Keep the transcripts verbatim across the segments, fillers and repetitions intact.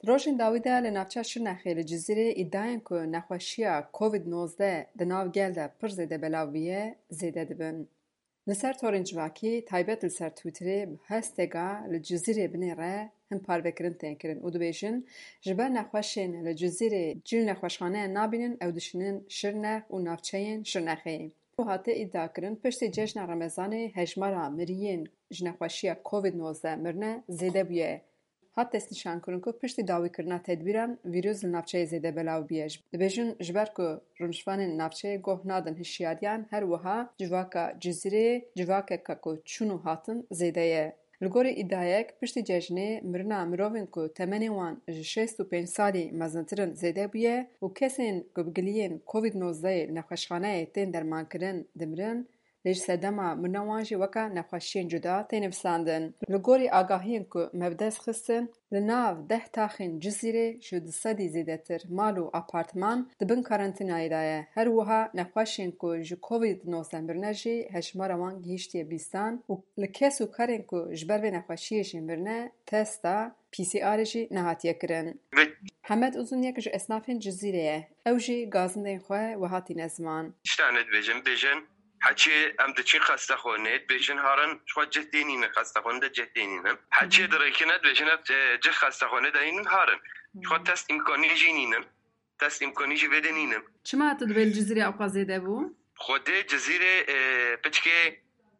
Di rojên dawî de li navça Şirnexê li Cizîrê îdiayên ku nexweşiya Covid nozdeh di nav gel de pir zêde belav bûye, zêde dibin. Li ser torên civakî, taybet li ser Twitterê bi hashtagga li Cizîrê binêre hin parvekirin tên kirin û dibêjin, ji ber nexweşên li Cizîrê cî li nexweşxaneyan nabînin, ew dişînin Şirnex û navçeyên Şirnexê. Û hate îdiakirin, piştî cejna Remezanê hejmara miriyên ji nexweşiya Covid nozdeh mirine zêde bûye. Hat destnîşankirin ku piştî dawîkirina tedbîran vîrus li navçeyê zêde belav bûye. Dibêjin, ji ber ku rûniştvanên navçeyê goh nadin hişyariyan, her wiha civaka Cizîrê civakeke ku çûn û hatin zêde ye. Li gorî îdiayek, piştî cejnê mirina mirovên ku temenê wan ji şêst û pênc salî mezintir in zêde bûye û kesên ku bi giliyên Covid nozdehê li nexweşxaneyê tên dermankirin dimirin, lê ji sedema mirina wan jî weka nexweşiyên cuda tê nivîsandin. Li gorî agahiyên ku me bi dest xistin, li nav deh taxên Cizîrê ji du sedî zêdetir mal û apartman di bin karantînayê de ye. Her wiha nexweşên ku ji Covid nozdeh mirine jî hejmara wan gihîştiye bîstan û li kes û karên ku ji ber vê nexweşiyê jî mirine testa P C Rê jî nehatiye kirin. Ve Hemed Uzun yek ji esnafên Cizîrê ye. Ew jî gazindên xwe wiha tîne ziman. Tişta ne dibêjin, bêjin, heçê em diçin xestexanê, dibêjin harin, ji xwe cih tê nînin, xestexanê de cih tê nînin. Heçê dirêkine, dibêjin, ev, e, cih xestexanê de nînin harin. Ji xwe test îmkanî jî nînin. Test îmkanî jî vê de nînin. Çima tu dibê li Cizîrê ewqas zêde bû? Xwedê Cizîrê, e, piçkê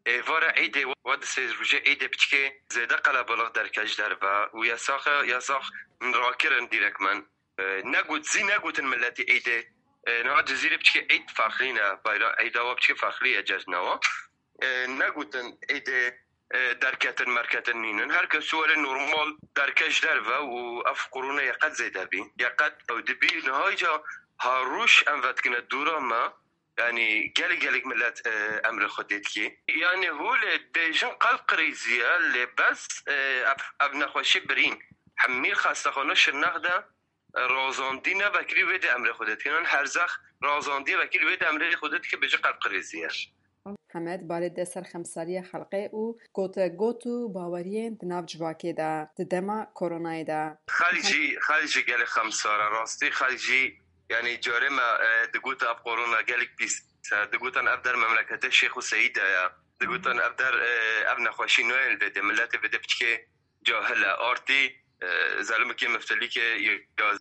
êvara Eydê, wa di sê rojê Eydê piçkê zêde qelebalix derket ji derve û yasaxe, yasax rakirin dîrekmen. E, negot, zî negotin miletî Eydê. E, niha Cizîrê piçkê Eyd ferqlî ne. Bayra Eyda wa piçkê ferqlî ye cejna wa. E, negotin Eydê, e, derketin merketin nînin. Her kes were normal derket ji derve û ev korona ye qet zêde bî. Ye qet ew dibî. Niha îca ha roj em vedikine dora me, yanî gelek gelek milet, e, emrê xwe dê dikê. Yanî hûlê dibêjin qelb qirêzî ye, lê bes, e, ev, ev nexweşî birîn. Hemî xestexane Şirnex de, e, razandî ne vekirî wê dê emrê xwe dê dikin. Herzex razandî vekirî wê dê emrê xwe dê dike bêje qelb qirêzî ye. Hemed balê de ser xemsariya xelkê û gotegot û baweriyên di nav civakê de di dema koronayê de. Xelk jî, xelk jî gelek xemsar e. Rastî xelk jî, yanî carê me, e, digot ev korona gelek pîs e. Digotin ev der memleketê Şêx û Seyîd de ye. Digotin ev der, e, ev nexweşî nayên li vê dê. Miletê vê dê piçkê cahil e. Artî, e, zelimikê miftilîkê ya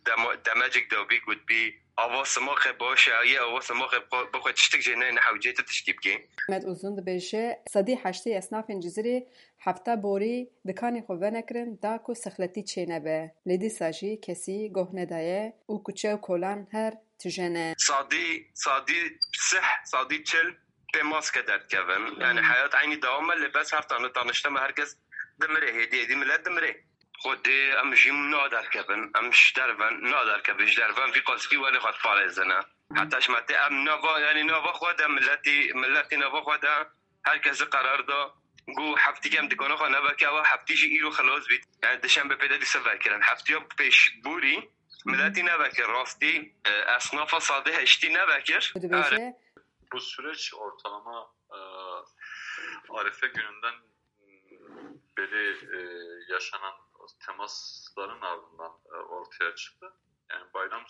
dema-, demecik dabî gotbî, ava simaxê baş e, yê ava simaxê bixwe, bixwe tiştik jê neyne hewcê tu tiştî bikê. Hemed Uzun dibêje, sedî heştê esnafên Cizîrê hefta borî dikanê xwe venekirin da ku sixletî çênebe. Lê dîsa jî kesî goh nedaye û kuçe û kolan her tije ne. Sadî, sadî sih, sadî çil pê maske derdikevin. Yanî heyat eynî dewam e, lê bes her tane danişte me her kes dimirê, hêdî hêdî milet dimirê. Xwedê em jî naderkevin, em ji derven naderkevin, ji derven vî qasî welê xwe diparêzine. Heta ji me tê em nava, yanî nava xwe de miletî, miletî nava xwe de her kesî qerar da, got heftî em dikana xwe neveke, ewa heftî jî îro xilas bît. Yanî dişembe pê de dîsa vekirin. Heftiya pêşborî miletî nevekir, rastî, e, esnafa sadê heştî nevekir. Dibêje, Are. Bu süreç ortalama, e, Arefe gününden beri, e, yaşanan temasların ardından, e, ortaya çıktı. Yani bayram,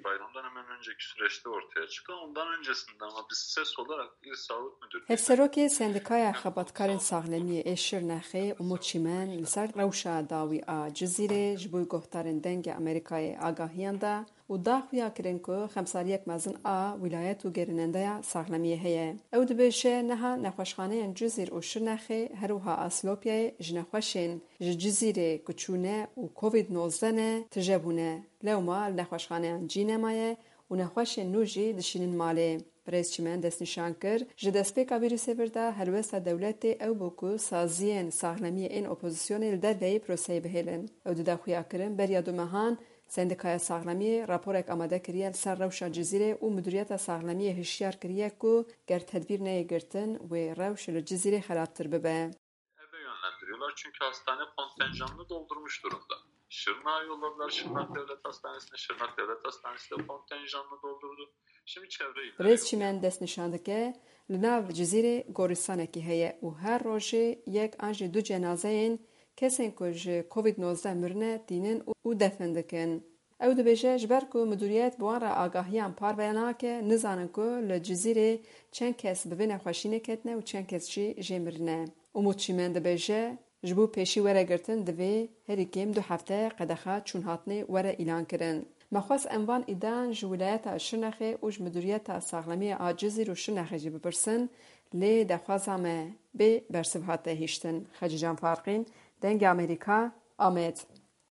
bayramdan hemen önceki süreçte ortaya çıktı. Ondan öncesinde ama biz ses olarak İl Sağlık Müdürlüğü'ne Hevserokê Sendikaya Xebatkarên Saxlemiyê ê Şirnexê Umut Çimen li ser rewşa dawî a Cizîrê ji bo guhdarên Dengê Amerîkayê agahiyan da û da xuya kirin ku xemsariyek mezin a wîlayet û gerînendeya saxlemiyê heye. Ew dibêje, niha nexweşxaneyên Cizîr û Şirnexê, her wiha a Silopyayê ji nexweşên ji Cizîrê ku çûne û Covid nozdeh ne, tije bûne. Lewma li nexweşxaneyan cî nemaye û nexweşên nû jî dişînin malê. Birêz Çimen destnîşan kir, ji destpêka vîrusê vir de helwesta dewletê ew bû ku saziyên saxlemiyê ên opozisyonê li derveyî proseyê bihêlin. Ew dida xuya kirin, beriya du mehan Sendîkaya Saxlemiyê raporek amade kiriye li ser rewşa Cizîrê û Midûriyeta Saxlemiyê hişyar kiriye ku ger tedbîr neyê girtin, wê rewş li Cizîrê xerabtir bibe. Eve yönlendiriyorlar çünkü hastane kontenjanını doldurmuş durumda. Şırnak'a yolladılar, Şırnak Devlet Hastanesi'ne. Şırnak Devlet Hastanesi de kontenjanını doldurdu. Şimdi çevre illere Birêz Çimen destnîşan dike, li nav Cizîrê gorîstanekî heye û her rojê yek an jî du cenazeyên kesên ku ji Covid nozdeh mirine tînin û defin dikin. Ew dibêje, ji ber ku midûriyet bi wan re agahiyan parve nake, nizanin ku li Cizîrê çend kes bi vê nexweşînê ketine û çend kes jî jê mirine. Umut Çîmen dibêje, ji bo pêşî were girtin divê herî kêm du hefte qedexa çûnhatinê were îlan kirin. Me xwest em van îdean ji wilayeta Şirnexê û ji Midûriyeta Saxlemiyê a Cizîr û Şirnexê jî bipirsin, lê daxwaza me bê bersiv hate hiştin. Xecîcan Farqîn, Dengê Amerîka, Amed.